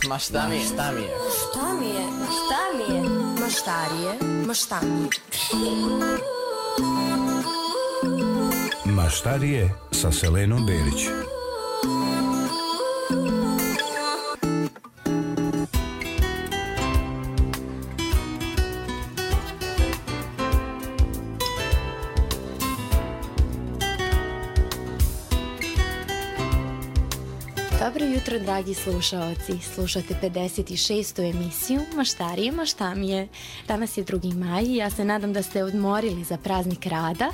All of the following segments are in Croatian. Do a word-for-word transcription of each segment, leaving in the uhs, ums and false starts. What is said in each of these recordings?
Ma šta mi je, šta mi je? Šta mi je, ma šta mi je? Maštarije, ma šta mi je? Maštarije sa Selenom Berić. Dobro jutro, dragi slušaoci. Slušate pedeset šestu emisiju Maštarije, ma šta mi je. Danas je drugi maj i ja se nadam da ste odmorili za praznik rada,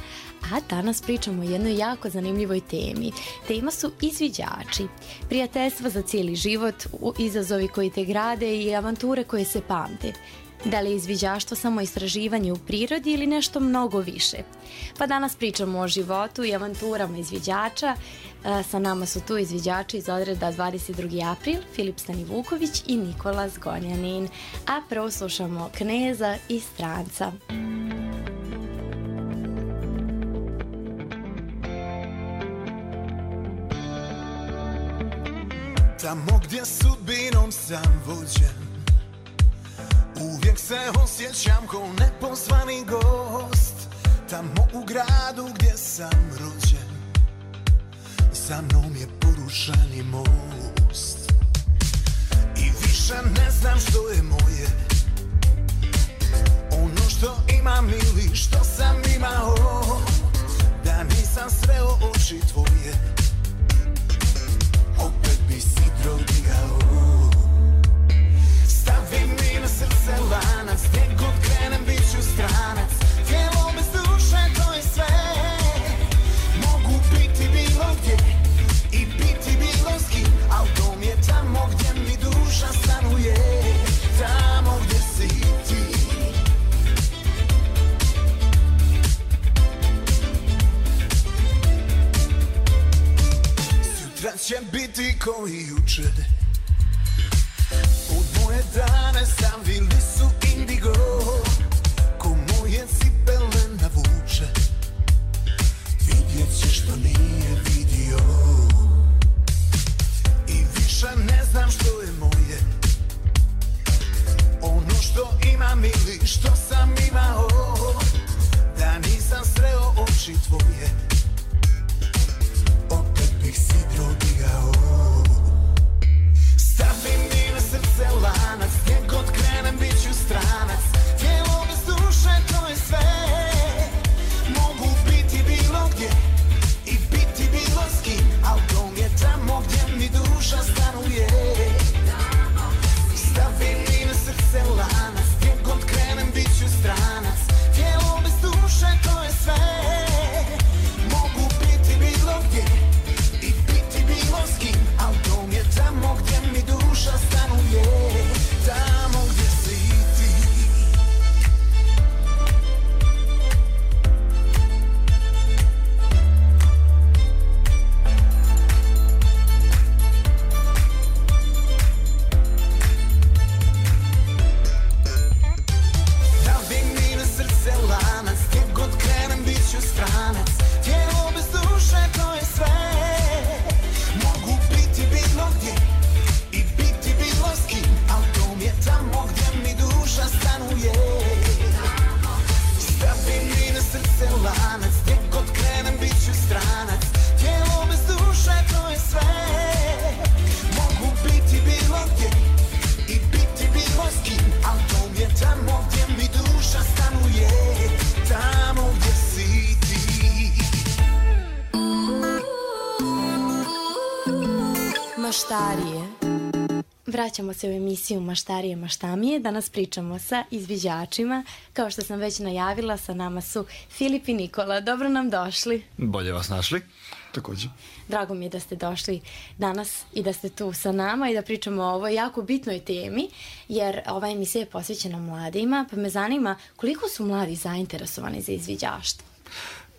a danas pričamo o jednoj jako zanimljivoj temi. Tema su izviđači. Prijateljstva za cijeli život, izazovi koji te grade i avanture koje se pamte. Da li je izviđaštvo samo istraživanje u prirodi ili nešto mnogo više? Pa danas pričamo o životu i avanturama izviđača. Sa nama su tu izviđači iz odreda dvadeset drugi april, Filip Stanivuković i Nikola Zgonjanin. A prvo slušamo Kneza i Stranca. Tamo gdje sudbinom sam vođen, uvijek se osjećam ko nepozvani gost. Tamo u gradu gdje sam rođen, za mnom je porušani most. I više ne znam što je moje, ono što imam ili što sam imao. Da nisam sreo oči tvoje, opet bi sidro digao. Stavi mi na srce lanac, gdje god krenem bit ću stranac. Tijelo bez duše, to je sve. Mogu biti bilo gdje i biti bilo s kim, al dom je tamo gdje mi duša stanuje. Tamo gdje si ti. Sutra će biti ko i jučer. Moje dane stavili su indigo, ko moje cipele navuče. Vidjet ćeš što nije vidio. I više ne znam što je moje, ono što imam ili što sam imao. Da nisam sreo oči tvoje, opet bih sidro digao. Stavi mi na srce lanac, gdje god krenem bit ću stranac. Tijelo bez duše, to je sve. Mogu biti bilo gdje i biti bilo s kim, al dom je tamo gdje mi duša stanuje. Stavi mi na srce lanac, gdje god krenem bit ću stranac. Tijelo bez duše, to je sve. Mogu biti bilo gdje i biti bilo s kim, al dom je tamo gdje mi duša stanuje. Tamo gdje si ti. Stavi mi na srce lanac, gdje god krenem bit ću stranac. Tijelo bez duše, to je sve. Mogu biti bilo gdje i biti bilo s kim, al dom je tamo gdje mi duša stanuje. Stavi mi na srce lanac, gdje god krenem bit ću stranac. Tijelo bez duše, to je sve. Mogu biti bilo gdje i biti bilo s kim, al dom je tamo gdje mi duša stanuje. Tamo gdje si ti. Maštarije. Vraćamo se u emisiju Maštarije, ma šta mi je. Danas pričamo sa izviđačima. Kao što sam već najavila, sa nama su Filip i Nikola. Dobro nam došli. Bolje vas našli. Također. Drago mi je da ste došli danas i da ste tu sa nama i da pričamo o ovoj jako bitnoj temi, jer ova emisija je posvećena mladima, pa me zanima koliko su mladi zainteresovani za izviđaštvo.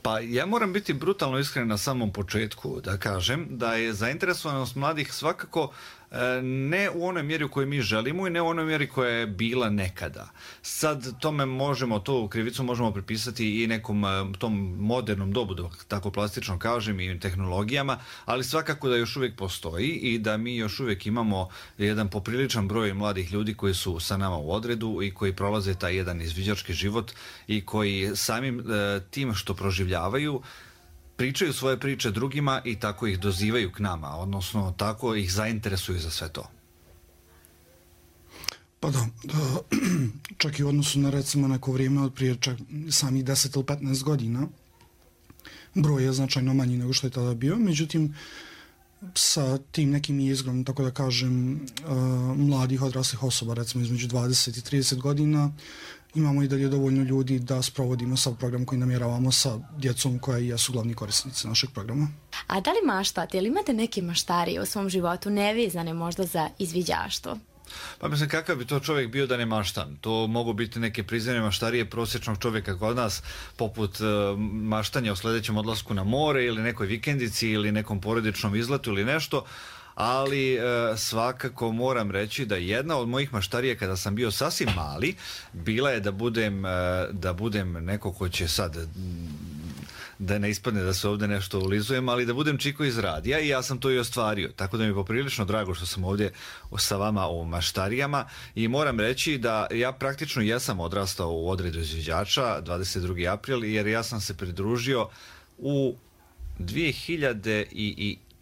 Pa ja moram biti brutalno iskren na samom početku da kažem da je zainteresovanost mladih svakako ne u onoj mjeri u kojoj mi želimo i ne u onoj mjeri koja je bila nekada. Sad tome možemo, to krivicu možemo pripisati i nekom tom modernom dobu, da tako plastično kažem, i tehnologijama, ali svakako da još uvijek postoji i da mi još uvijek imamo jedan popriličan broj mladih ljudi koji su sa nama u odredu i koji prolaze taj jedan izviđački život i koji samim tim što proživljavaju pričaju svoje priče drugima i tako ih dozivaju k nama, odnosno tako ih zainteresuju za sve to. Pa da, da čak i u odnosu na recimo neko vrijeme od prije čak samih deset ili petnaest godina broj je značajno manji nego što je tada bio, međutim sa tim nekim izgrom, tako da kažem, uh, mladih odraslih osoba, recimo između dvadeset i trideset godina, imamo i dalje dovoljno ljudi da sprovodimo sav program koji namjeravamo sa djecom koja i jesu glavni korisnici našeg programa. A da li maštate ili imate neke maštarije u svom životu nevezane možda za izviđaštvo? Pa mislim, kakav bi to čovjek bio da ne maštan? To mogu biti neke prizemne maštarije prosječnog čovjeka kod nas, poput uh, maštanja o sljedećem odlasku na more ili nekoj vikendici ili nekom porodičnom izletu ili nešto, ali e, svakako moram reći da jedna od mojih maštarija kada sam bio sasvim mali bila je da budem, e, da budem neko ko će sad, da ne ispadne da se ovdje nešto ulizujem, ali da budem čiko iz radija i ja sam to i ostvario. Tako da mi je poprilično drago što sam ovdje sa vama o maštarijama i moram reći da ja praktično jesam odrastao u odredu izviđača dvadeset drugi april jer ja sam se pridružio u dvije hiljade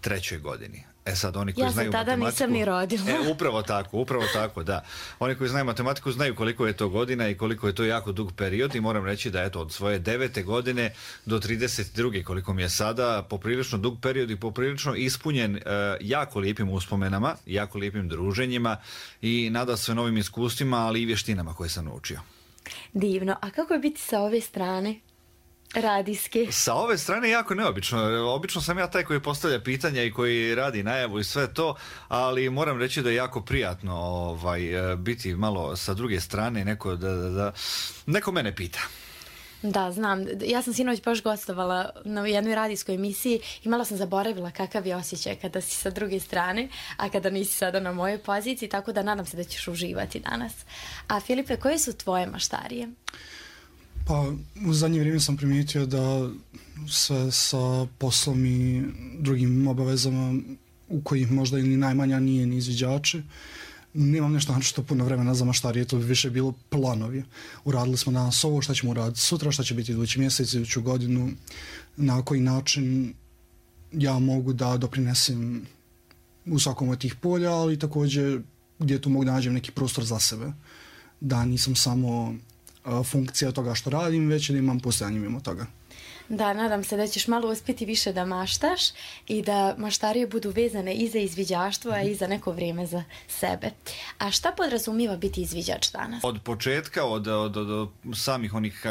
trećoj godini. E sad, oni koji ja znaju tada matematiku... nisam ni rodila. E, upravo tako, upravo tako, da. Oni koji znaju matematiku znaju koliko je to godina i koliko je to jako dug period i moram reći da eto, od svoje devete godine do trideset druge koliko mi je sada, poprilično dug period i poprilično ispunjen e, jako lijepim uspomenama, jako lijepim druženjima i nada sve novim iskustvima, ali i vještinama koje sam naučio. Divno. A kako je biti sa ove strane? Radijski. Sa ove strane jako neobično. Obično sam ja taj koji postavlja pitanja i koji radi najavu i sve to, ali moram reći da je jako prijatno ovaj, biti malo sa druge strane, neko, da, da, da, neko mene pita. Da, znam. Ja sam sinoć baš gostovala na jednoj radijskoj emisiji i malo sam zaboravila kakav je osjećaj kada si sa druge strane, a kada nisi sada na mojoj poziciji, tako da nadam se da ćeš uživati danas. A Filipe, koje su tvoje maštarije? Pa u zadnje vrijeme sam primijetio da sve sa poslom i drugim obavezama u kojih možda ili najmanja nije ni izviđače, nemam nešto naročito puno vremena za maštarije, to bi više bilo planovi. Uradili smo danas ovo, šta ćemo uraditi sutra, šta će biti idući mjesec, iduću godinu, na koji način ja mogu da doprinesem u svakom od tih polja, ali također gdje tu mogu da nađem neki prostor za sebe. Da nisam samo funkcija toga što radim, već da imam postojanje mimo toga. Da, nadam se da ćeš malo uspjeti više da maštaš i da maštarije budu vezane i za izviđaštvo, a i za neko vrijeme za sebe. A šta podrazumijeva biti izviđač danas? Od početka, od, od, od samih onih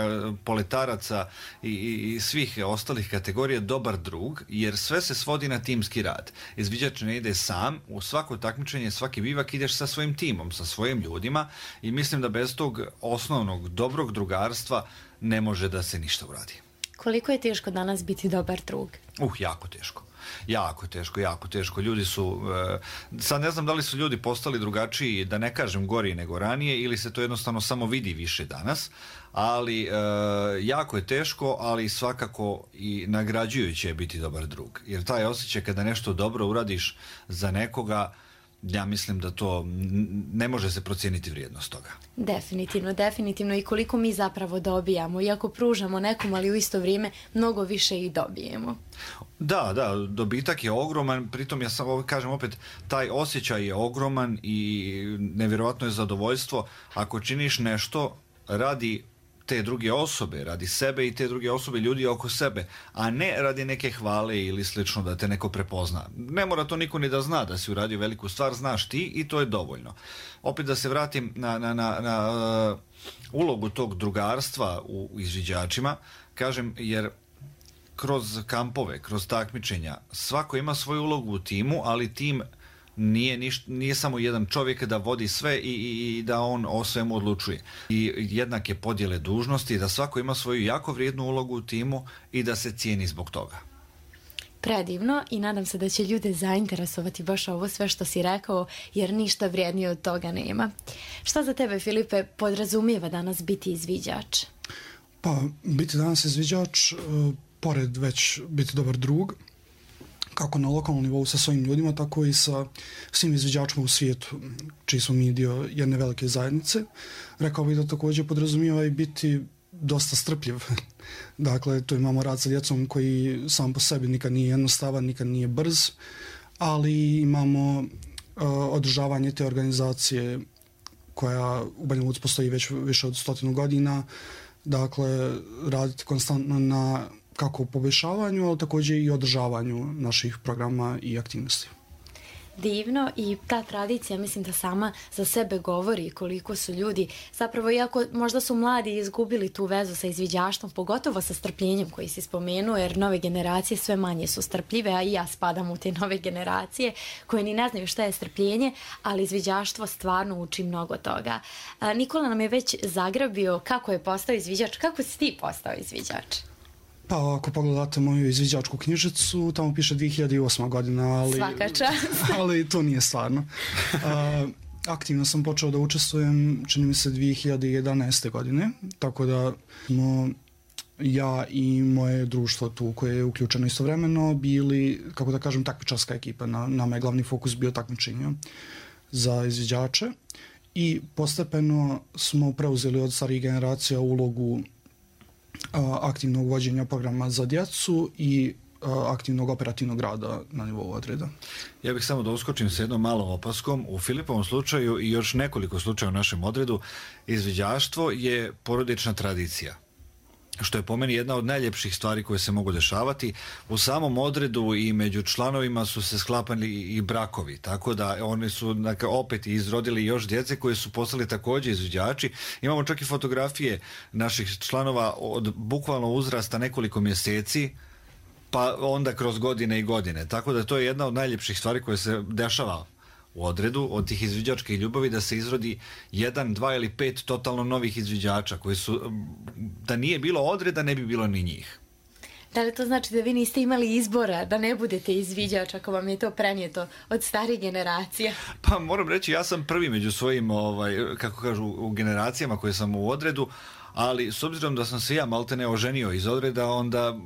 poletaraca i, i, i svih ostalih kategorija dobar drug, jer sve se svodi na timski rad. Izviđač ne ide sam, u svako takmičenje, svaki bivak ideš sa svojim timom, sa svojim ljudima i mislim da bez tog osnovnog dobrog drugarstva ne može da se ništa uradi. Koliko je teško danas biti dobar drug? Uh, jako teško. Jako teško, jako teško. Ljudi su, e, sad ne znam da li su ljudi postali drugačiji, da ne kažem gori nego ranije, ili se to jednostavno samo vidi više danas, ali e, jako je teško, ali svakako i nagrađujuće je biti dobar drug. Jer taj osjećaj kada nešto dobro uradiš za nekoga, ja mislim da to ne može se procijeniti vrijednost toga. Definitivno, definitivno i koliko mi zapravo dobijamo, iako pružamo nekom, ali u isto vrijeme mnogo više i dobijemo. Da, da, dobitak je ogroman, pritom ja sam, kažem opet, taj osjećaj je ogroman i nevjerojatno je zadovoljstvo ako činiš nešto radi te druge osobe, radi sebe i te druge osobe, ljudi oko sebe, a ne radi neke hvale ili slično da te neko prepozna. Ne mora to niko ni da zna da si uradio veliku stvar, znaš ti i to je dovoljno. Opet da se vratim na, na, na, na uh, ulogu tog drugarstva u, u izviđačima, kažem, jer kroz kampove, kroz takmičenja, svako ima svoju ulogu u timu, ali tim Nije, niš, nije samo jedan čovjek da vodi sve i, i, i da on o svemu odlučuje. I jednake podjele dužnosti, da svako ima svoju jako vrijednu ulogu u timu i da se cijeni zbog toga. Predivno i nadam se da će ljude zainteresovati baš ovo sve što si rekao, jer ništa vrijednije od toga nema. Šta za tebe, Filipe, podrazumijeva danas biti izviđač? Pa, biti danas izviđač, e, pored već biti dobar drug, kako na lokalnom nivou sa svojim ljudima, tako i sa svim izviđačima u svijetu, čiji smo mi dio jedne velike zajednice. Rekao bih da također podrazumijeva i biti dosta strpljiv. Dakle, tu imamo rad sa djecom koji sam po sebi nikad nije jednostavan, nikad nije brz, ali imamo uh, održavanje te organizacije koja u Banja Luci postoji već više od stotinu godina. Dakle, raditi konstantno na kako poboljšavanju, ali također i održavanju naših programa i aktivnosti. Divno i ta tradicija mislim da sama za sebe govori koliko su ljudi, zapravo iako možda su mladi izgubili tu vezu sa izviđaštvom, pogotovo sa strpljenjem koji si spomenuo, jer nove generacije sve manje su strpljive, a i ja spadam u te nove generacije koje ni ne znaju šta je strpljenje, ali izviđaštvo stvarno uči mnogo toga. A, Nikola nam je već zagrabio kako je postao izviđač, kako si ti postao izviđač? Pa ako pogledate moju izviđačku knjižicu, tamo piše dvije hiljade osma godina, ali, Svaka čast. ali to nije stvarno. A, aktivno sam počeo da učestvujem, čini mi se, dvije hiljade jedanaeste. godine, tako da smo ja i moje društvo tu koje je uključeno istovremeno bili, kako da kažem, takmičarska ekipa. Na, nama je glavni fokus bio takmičenje za izviđače i postepeno smo preuzeli od starijih generacija ulogu aktivnog vođenja programa za djecu i aktivnog operativnog rada na nivou odreda. Ja bih samo da uskočim s jednom malom opaskom. U Filipovom slučaju i još nekoliko slučaja u našem odredu, izviđaštvo je porodična tradicija, što je po meni jedna od najljepših stvari koje se mogu dešavati. U samom odredu i među članovima su se sklapali i brakovi, tako da oni su dakle, opet izrodili još djece koji su postali također izviđači. Imamo čak i fotografije naših članova od bukvalno uzrasta nekoliko mjeseci, pa onda kroz godine i godine. Tako da to je jedna od najljepših stvari koje se dešava u odredu, od tih izviđačkih ljubavi, da se izrodi jedan, dva ili pet totalno novih izviđača koji su, da nije bilo odreda, ne bi bilo ni njih. Da li to znači da vi niste imali izbora da ne budete izviđač ako vam je to prenijeto od starih generacija? Pa moram reći, ja sam prvi među svojim, ovaj, kako kažu, u generacijama koje sam u odredu, ali s obzirom da sam se ja maltene oženio iz odreda, onda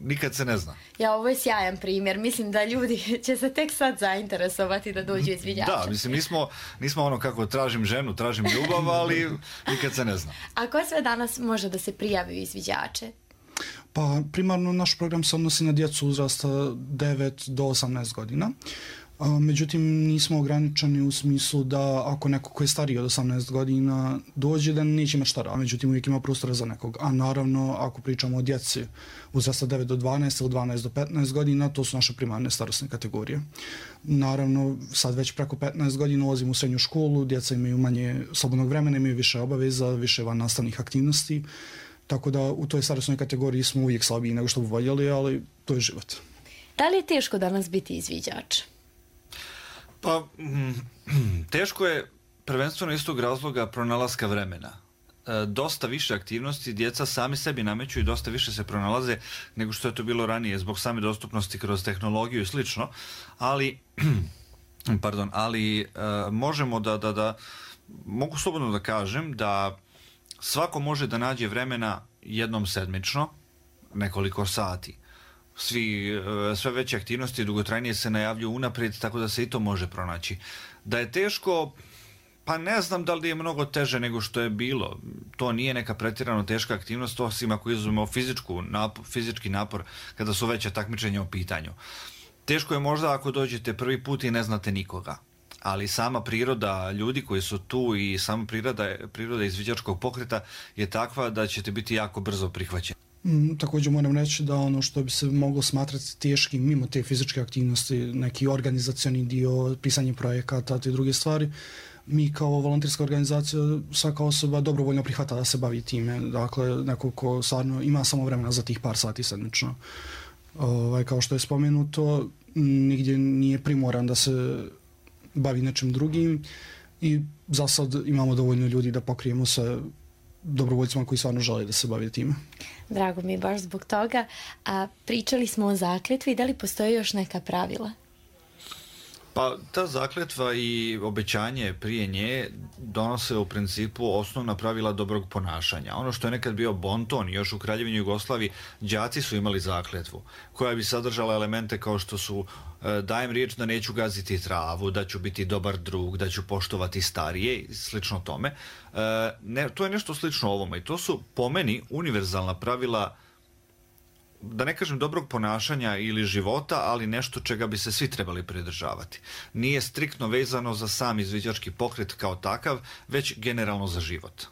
nikad se ne zna. Ja, ovo je sjajan primjer. Mislim da ljudi će se tek sad zainteresovati da dođu izviđače. Da, mislim, nismo, nismo ono kako tražim ženu, tražim ljubav, ali nikad se ne zna. A ko sve danas može da se prijavi u izviđače? Pa primarno naš program se odnosi na djecu uzrasta devet do osamnaest godina. Međutim, nismo ograničeni u smislu da ako neko koji je stariji od osamnaest godina dođe, da neće imati šta raditi. Međutim, uvijek ima prostora za nekog. A naravno, ako pričamo o djeci uzrasta devet do dvanaest ili dvanaest do petnaest godina, to su naše primarne starosne kategorije. Naravno, sad već preko petnaest godina ulazimo u srednju školu, djeca imaju manje slobodnog vremena, imaju više obaveza, više van nastavnih aktivnosti. Tako da u toj starosnoj kategoriji smo uvijek slabiji nego što bi voljeli, ali to je život. Da li je teško danas biti izviđač? Pa, teško je prvenstveno iz tog razloga pronalaska vremena. E, dosta više aktivnosti djeca sami sebi nameću i dosta više se pronalaze nego što je to bilo ranije zbog same dostupnosti kroz tehnologiju i slično, ali, pardon, ali e, možemo da, da, da, mogu slobodno da kažem da svako može da nađe vremena jednom sedmično, nekoliko sati. Svi, sve veće aktivnosti i dugotrajnije se najavljuju unaprijed, tako da se i to može pronaći. Da je teško, pa ne znam da li je mnogo teže nego što je bilo. To nije neka pretjerano teška aktivnost, osim ako izuzmemo fizičku napor, fizički napor kada su veće takmičenja u pitanju. Teško je možda ako dođete prvi put i ne znate nikoga, ali sama priroda ljudi koji su tu i sama priroda, priroda izviđačkog pokreta je takva da ćete biti jako brzo prihvaćeni. Mm, također moram reći da ono što bi se moglo smatrati teškim mimo te fizičke aktivnosti, neki organizacioni dio, pisanje projekata, te druge stvari, mi kao volonterska organizacija, svaka osoba dobrovoljno prihvata da se bavi time. Dakle, neko ko stvarno ima samo vremena za tih par sati sedmično. Ovaj, kao što je spomenuto, nigdje nije primoran da se bavi nečim drugim i za sad imamo dovoljno ljudi da pokrijemo sve dobrovoljcima koji stvarno žele da se bave time. Drago mi je baš zbog toga. A pričali smo o zakletvi, da li postoje još neka pravila? Pa ta zakletva i obećanje prije nje donose u principu osnovna pravila dobrog ponašanja. Ono što je nekad bio bonton, još u Kraljevini Jugoslaviji, đaci su imali zakletvu koja bi sadržala elemente kao što su e, dajem riječ da neću gaziti travu, da ću biti dobar drug, da ću poštovati starije i slično tome. E, ne, to je nešto slično ovome i to su po meni univerzalna pravila, da ne kažem dobrog ponašanja ili života, ali nešto čega bi se svi trebali pridržavati. Nije striktno vezano za sam izviđački pokret kao takav, već generalno za život.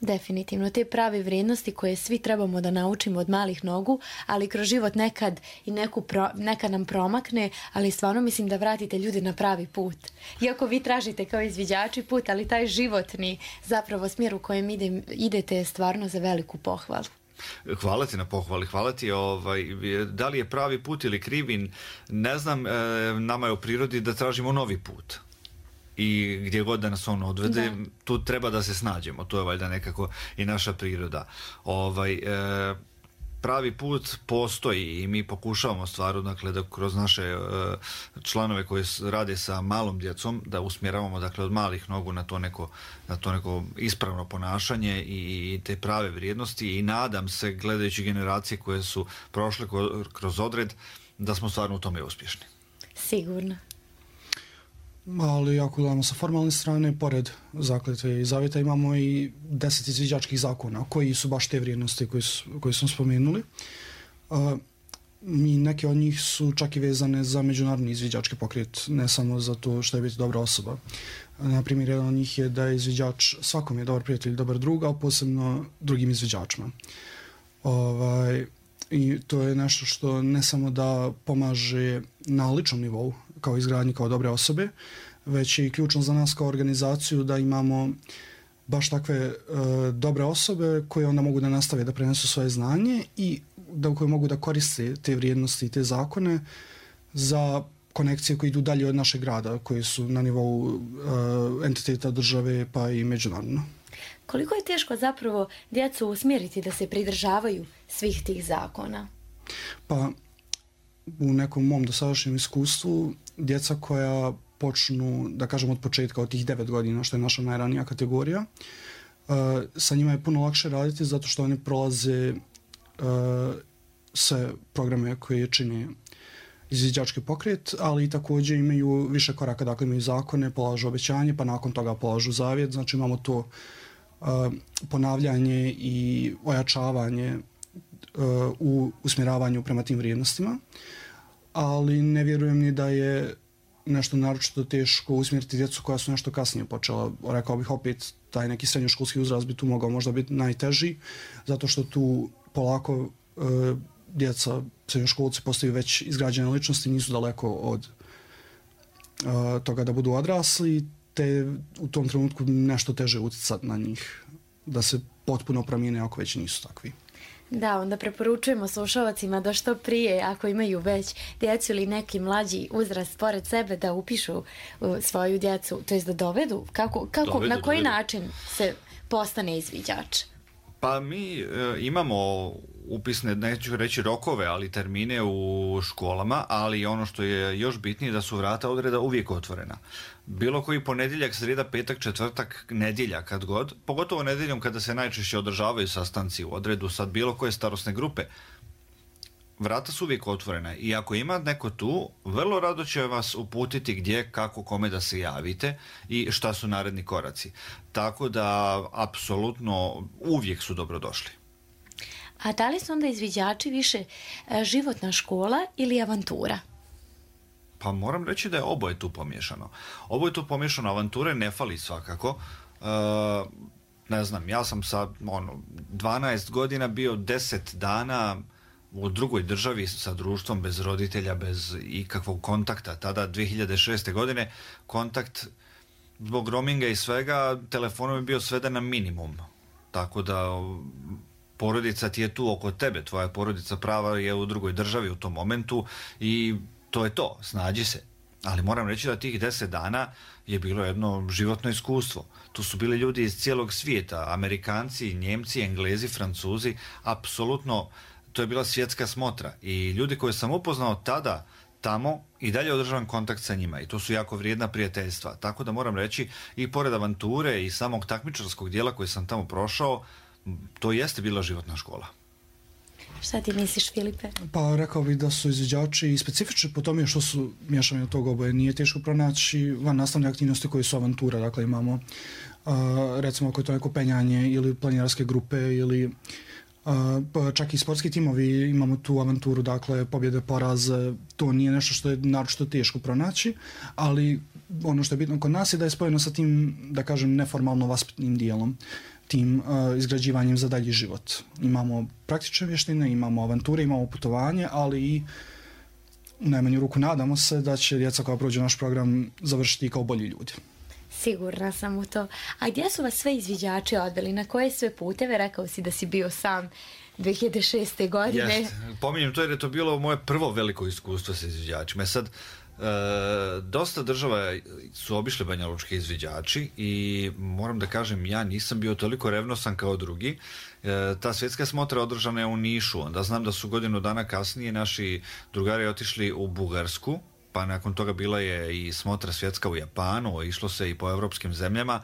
Definitivno, te prave vrijednosti koje svi trebamo da naučimo od malih nogu, ali kroz život nekad i neku pro, nekad nam promakne, ali stvarno mislim da vratite ljude na pravi put. Iako vi tražite kao izviđači put, ali taj životni zapravo smjer u kojem ide, idete je stvarno za veliku pohvalu. Hvala ti na pohvali, hvala ti. Ovaj, da li je pravi put ili krivi, ne znam, e, nama je u prirodi da tražimo novi put. I gdje god da nas on odvede, da. Tu treba da se snađemo. To je valjda nekako i naša priroda. Ovaj, e, pravi put postoji i mi pokušavamo stvaru, dakle, da kroz naše e, članove koji rade sa malom djecom, da usmjeravamo, dakle, od malih nogu na to neko, na to neko ispravno ponašanje i, i te prave vrijednosti i nadam se, gledajući generacije koje su prošle kroz odred, da smo stvarno u tome uspješni. Sigurno. Ali ako gledamo sa formalne strane, pored zakletve i zavjeta imamo i deset izviđačkih zakona koji su baš te vrijednosti koje, su, koje smo spomenuli. Uh, I neke od njih su čak i vezane za međunarodni izviđački pokret, ne samo za to što je biti dobra osoba. Na primjer, jedan od njih je da je izviđač svakom je dobar prijatelj, dobar drug, a posebno drugim izviđačima. Ovaj, I to je nešto što ne samo da pomaže na ličnom nivou, kao izgradnji, kao dobre osobe, već je i ključno za nas kao organizaciju da imamo baš takve e, dobre osobe koje onda mogu da nastave da prenesu svoje znanje i da koje mogu da koriste te vrijednosti i te zakone za konekcije koje idu dalje od našeg grada, koje su na nivou e, entiteta države pa i međunarodno. Koliko je teško zapravo djecu usmjeriti da se pridržavaju svih tih zakona? Pa u nekom mom dosadašnjem iskustvu djeca koja počnu, da kažem od početka, od tih devet godina, što je naša najranija kategorija, uh, sa njima je puno lakše raditi zato što oni prolaze uh, sve programe koje čine izviđački pokret, ali i također imaju više koraka, dakle imaju zakone, polažu obećanje, pa nakon toga polažu zavjet, znači imamo to uh, ponavljanje i ojačavanje uh, u usmjeravanju prema tim vrijednostima, ali ne vjerujem ni da je nešto naročito teško usmjeriti djecu koja su nešto kasnije počela. Rekao bih opet, taj neki srednjoškolski uzrast bi tu mogao možda biti najteži, zato što tu polako e, djeca, srednjoškolci postaju već izgrađene ličnosti, nisu daleko od e, toga da budu odrasli, te u tom trenutku nešto teže utjecati na njih, da se potpuno promijene ako već nisu takvi. Da, onda preporučujemo slušalcima da što prije, ako imaju već djecu ili neki mlađi uzrast pored sebe, da upišu svoju djecu, to jest da dovedu, kako, kako dovedu, na koji dovedu. način se postane izviđač? Pa mi e, imamo upisne, neću reći rokove, ali termine u školama, ali ono što je još bitnije da su vrata odreda uvijek otvorena. Bilo koji ponedjeljak, srijeda, petak, četvrtak, nedjelja, kad god, pogotovo nedjeljom kada se najčešće održavaju sastanci u odredu sad bilo koje starosne grupe, vrata su uvijek otvorena i ako ima neko tu, vrlo rado će vas uputiti gdje, kako, kome da se javite i šta su naredni koraci. Tako da, apsolutno, uvijek su dobrodošli. A da li su onda izviđači više životna škola ili avantura? Pa moram reći da je oboje tu pomiješano. Oboje tu pomiješano, avanture ne fali svakako. E, ne znam, ja sam sa ono, dvanaest godina bio deset dana u drugoj državi sa društvom, bez roditelja, bez ikakvog kontakta. Tada, dvije hiljade šeste. godine, kontakt zbog roaminga i svega, telefonom je bio sveden na minimum. Tako da porodica ti je tu oko tebe, tvoja porodica prava je u drugoj državi u tom momentu i to je to, snađi se. Ali moram reći da tih deset dana je bilo jedno životno iskustvo. Tu su bili ljudi iz cijelog svijeta, Amerikanci, Njemci, Englezi, Francuzi, apsolutno to je bila svjetska smotra. I ljudi koje sam upoznao tada, tamo, i dalje održavam kontakt sa njima i to su jako vrijedna prijateljstva. Tako da moram reći, i pored avanture i samog takmičarskog dijela koji sam tamo prošao, to jeste bila životna škola. Šta ti misliš, Filipe? Pa rekao bih da su izviđači i specifični po tome što su miješani od tog oboje. Nije teško pronaći van nastavne aktivnosti koje su avantura. Dakle, imamo uh, recimo ako je to neko penjanje ili planinarske grupe ili uh, čak i sportski timovi, imamo tu avanturu, dakle, pobjede, poraze. To nije nešto što je naročito teško pronaći, ali ono što je bitno kod nas je da je spojeno sa tim, da kažem, neformalno vaspitnim dijelom, tim uh, izgrađivanjem za dalji život. Imamo praktične vještine, imamo avanture, imamo putovanje, ali i u najmanju ruku nadamo se da će djeca koja prođe naš program završiti kao bolji ljudi. Sigurna sam u to. A gdje su vas sve izviđači odveli? Na koje sve puteve? Rekao si da si bio sam dvije hiljade šeste. godine. Jest. Pominjem to jer je to bilo moje prvo veliko iskustvo sa izviđačima. Sad, E, dosta država su obišli banjalučki izviđači i moram da kažem, ja nisam bio toliko revnosan kao drugi. E, ta svjetska smotra održana je u Nišu, onda znam da su godinu dana kasnije naši drugari otišli u Bugarsku, pa nakon toga bila je i smotra svjetska u Japanu, išlo se i po evropskim zemljama,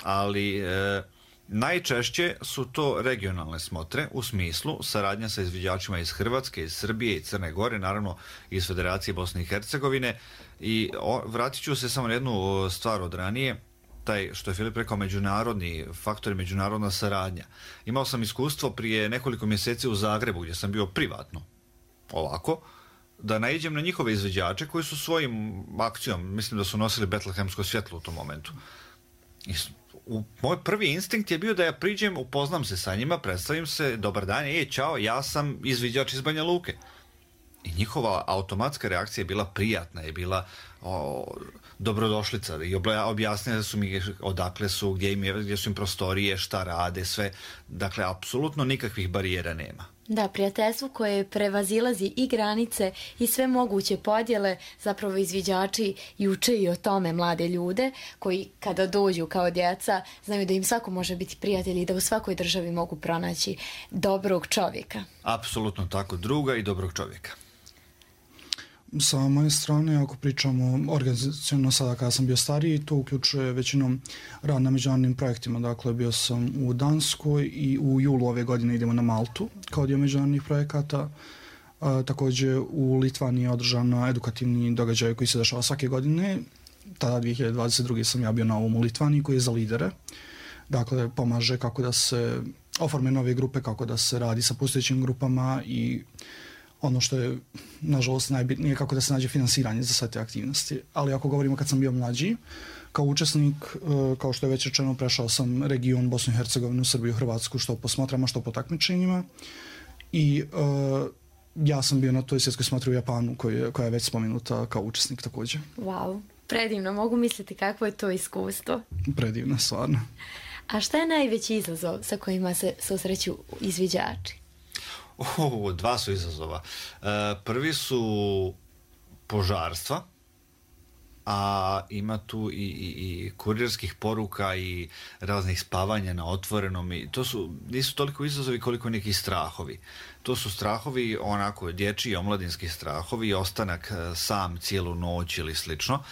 ali e, najčešće su to regionalne smotre u smislu saradnja sa izviđačima iz Hrvatske, iz Srbije i Crne Gore, naravno iz Federacije Bosne i Hercegovine. I o, vratit ću se samo na jednu stvar od ranije, taj što je Filip rekao, međunarodni faktor i međunarodna saradnja. Imao sam iskustvo prije nekoliko mjeseci u Zagrebu gdje sam bio privatno, ovako, da naiđem na njihove izviđače koji su svojim akcijom, mislim da su nosili betlehemsko svjetlo u tom momentu. I u, moj prvi instinkt je bio da ja priđem, upoznam se sa njima, predstavim se, dobar dan, ej, čao, ja sam izviđač iz Banja Luke. I njihova automatska reakcija je bila prijatna, je bila o, dobrodošlica i objasnili su mi odakle su, gdje, im je, gdje su im prostorije, šta rade, sve. Dakle, apsolutno nikakvih barijera nema. Da, prijateljstvo koje prevazilazi i granice i sve moguće podjele, zapravo izviđači i uče i o tome mlade ljude koji kada dođu kao djeca znaju da im svako može biti prijatelj i da u svakoj državi mogu pronaći dobrog čovjeka. Apsolutno tako, druga i dobrog čovjeka. Sa moje strane, ako pričamo organizacijno sada kada sam bio stariji, to uključuje većinom rad na međunarodnim projektima. Dakle, bio sam u Danskoj i u julu ove godine idemo na Maltu kao dio međunarodnih projekata. A, također u Litvaniji je održan edukativni događaj koji se dešava svake godine. Tada dvije hiljade dvadeset druge sam ja bio na ovom u Litvaniji koji je za lidere. Dakle, pomaže kako da se oforme nove grupe, kako da se radi sa postojećim grupama i ono što je, nažalost, najbitnije, kako da se nađe finansiranje za sve te aktivnosti. Ali ako govorimo kad sam bio mlađi, kao učesnik, kao što je već rečeno, prešao sam region Bosnu i Hercegovinu, Srbiju, Hrvatsku, što po smotrama, što po takmičenjima. I uh, ja sam bio na toj svjetskoj smotri u Japanu, koja, koja je već spomenuta kao učesnik također. Wow, predivno. Mogu misliti kakvo je to iskustvo. Predivno, stvarno. A šta je najveći izazov sa kojima se susreću izviđači? Oh, dva su izazova. E, prvi su požarstva, a ima tu i, i, i kurirskih poruka i raznih spavanja na otvorenom. I to su, nisu toliko izazovi koliko neki strahovi. To su strahovi onako dječji, omladinski strahovi, ostanak sam cijelu noć ili slično.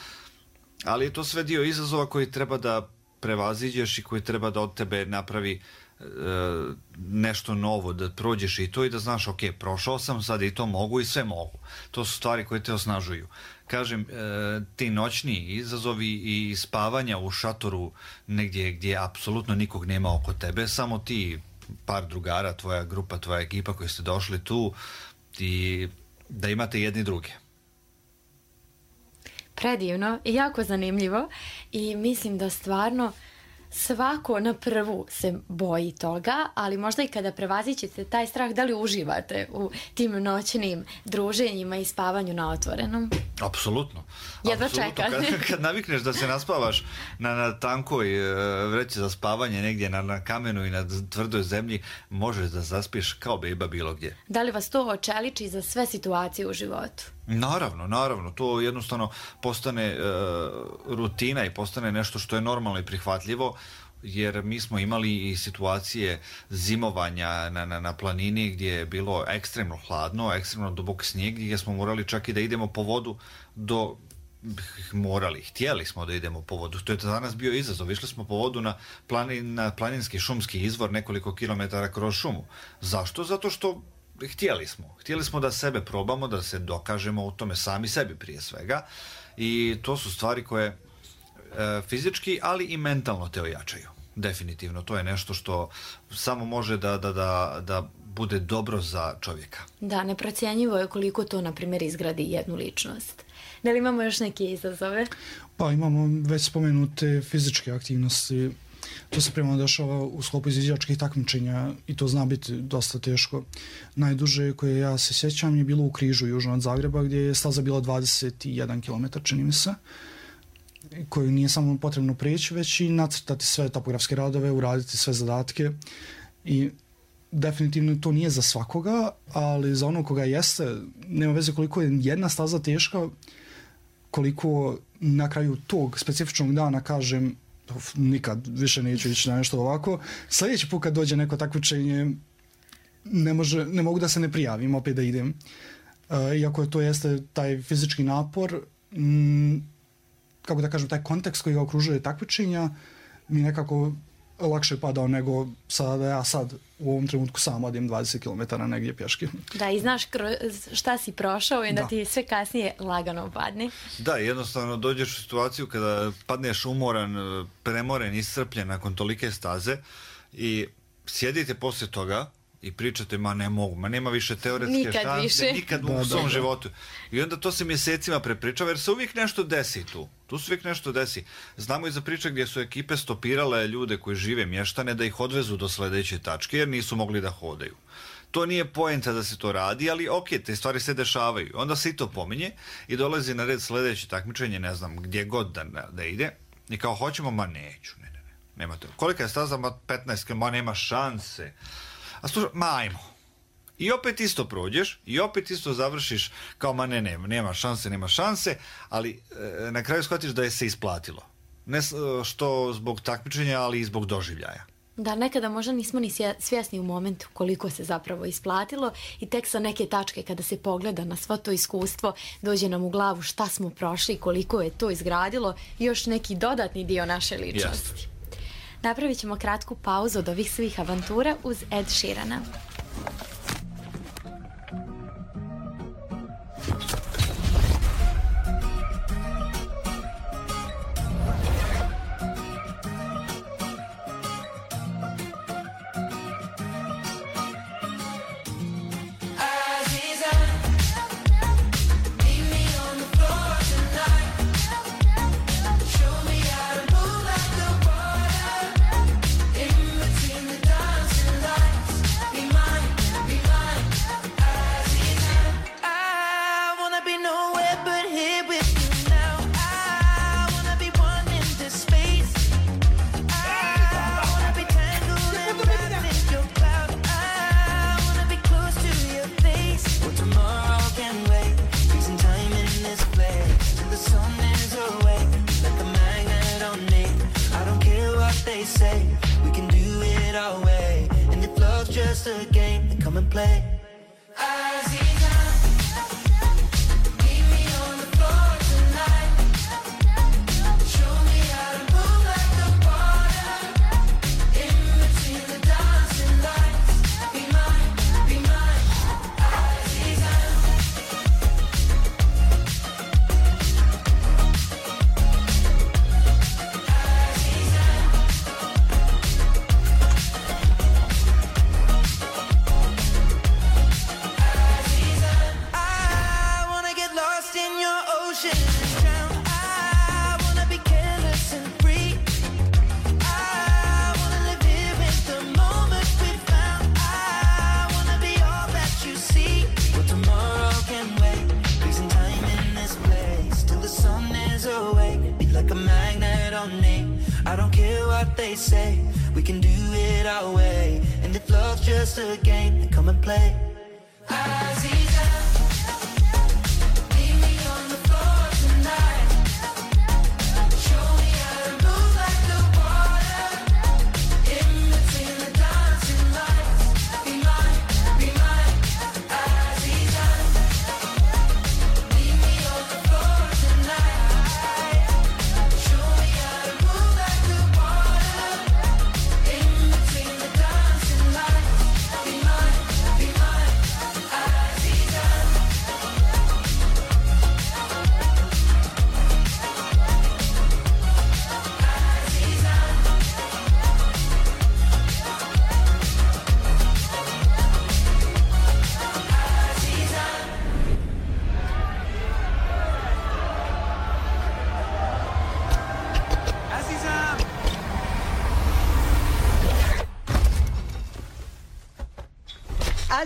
Ali je to sve dio izazova koji treba da prevaziđeš i koji treba da od tebe napravi nešto novo, da prođeš i to i da znaš, ok, prošao sam, sad i to mogu i sve mogu. To su stvari koje te osnažuju. Kažem, ti noćni izazovi i spavanja u šatoru negdje gdje apsolutno nikog nema oko tebe, samo ti, par drugara, tvoja grupa, tvoja ekipa koji ste došli tu i da imate jedni druge. Predivno i jako zanimljivo i mislim da stvarno svako na prvu se boji toga, ali možda i kada prevazićete taj strah, da li uživate u tim noćnim druženjima i spavanju na otvorenom? Apsolutno. Jedva Apsolutno. čekam. Kad, kad navikneš da se naspavaš na, na tankoj vreći za spavanje negdje na, na kamenu i na tvrdoj zemlji, možeš da zaspiš kao beba bilo gdje. Da li vas to očeliči za sve situacije u životu? Naravno, naravno, to jednostavno postane e, rutina i postane nešto što je normalno i prihvatljivo, jer mi smo imali i situacije zimovanja na, na, na planini gdje je bilo ekstremno hladno, ekstremno dubok snijeg, gdje smo morali čak i da idemo po vodu do morali, htjeli smo da idemo po vodu. To je za nas bio izazov. Išli smo po vodu na, planin, na planinski šumski izvor nekoliko kilometara kroz šumu. Zašto? Zato što htjeli smo. Htjeli smo da sebe probamo, da se dokažemo u tome sami sebi prije svega. I to su stvari koje e, fizički, ali i mentalno te ojačaju. Definitivno. To je nešto što samo može da, da, da, da bude dobro za čovjeka. Da, neprocjenjivo je koliko to, na primjer, izgradi jednu ličnost. Da li imamo još neke izazove? Pa imamo već spomenute fizičke aktivnosti. To se prema dešava u sklopu izviđačkih takmičenja i to zna biti dosta teško. Najduže koje ja se sjećam je bilo u Križu, južno od Zagreba, gdje je staza bila dvadeset jedan kilometar, čini mi se, koju nije samo potrebno prijeći, već i nacrtati sve topografske radove, uraditi sve zadatke. I definitivno to nije za svakoga, ali za ono koga jeste, nema veze koliko je jedna staza teška, koliko na kraju tog specifičnog dana kažem uf, nikad više neću ići na nešto ovako. Sljedeći put kad dođe neko takmičenje ne, može, ne mogu da se ne prijavim, opet da idem. Uh, iako to jeste taj fizički napor, m, kako da kažem, taj kontekst koji ga okružuje takmičenja mi nekako lakše padao nego sada da ja sad u ovom trenutku sam odim dvadeset kilometara negdje pješke. Da, i znaš šta si prošao i da, da ti sve kasnije lagano padne. Da, jednostavno dođeš u situaciju kada padneš umoran, premoren, iscrpljen nakon tolike staze i sjedite poslije toga i pričate, ma ne mogu, ma nema više teoretske nikad šanse, više. nikad da, u svom da, da. životu. I onda to se mjesecima prepričava jer se uvijek nešto desi tu. Tu se uvijek nešto desi. Znamo i za priče gdje su ekipe stopirale ljude koji žive mještane da ih odvezu do sljedeće tačke jer nisu mogli da hodaju. To nije poenta da se to radi, ali ok, te stvari se dešavaju. Onda se i to pominje i dolazi na red sljedeće takmičenje, ne znam, gdje god da, da ide. I kao hoćemo, ma neću, ne, ne, ne. Nema to. Kolika je staza? Ma petnaest kilometara, ma nema šanse. A slušaj, ma ajmo. I opet isto prođeš i opet isto završiš kao ma ne, ne, nema šanse, nema šanse, ali e, na kraju shvatiš da je se isplatilo. Ne što zbog takmičenja, ali i zbog doživljaja. Da, nekada možda nismo ni svjesni u momentu koliko se zapravo isplatilo i tek sa neke tačke kada se pogleda na svo to iskustvo dođe nam u glavu šta smo prošli, koliko je to izgradilo i još neki dodatni dio naše ličnosti. Yes. Napravit ćemo kratku pauzu od ovih svih avantura uz Ed Sheerana. Just a game, come and play. Aziza,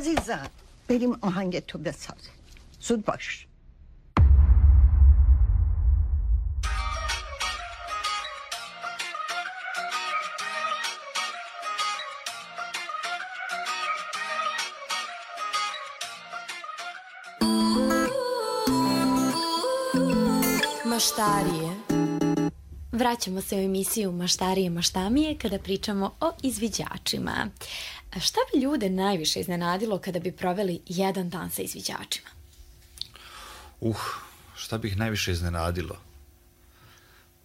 Azizan, بریم آهنگ تو بساز. زود باش. Maštarije. Vraćamo se u emisiju Maštarije, maštamije kada pričamo o izviđačima. Šta bi ljude najviše iznenadilo kada bi proveli jedan dan sa izviđačima? Uh, šta bi ih najviše iznenadilo?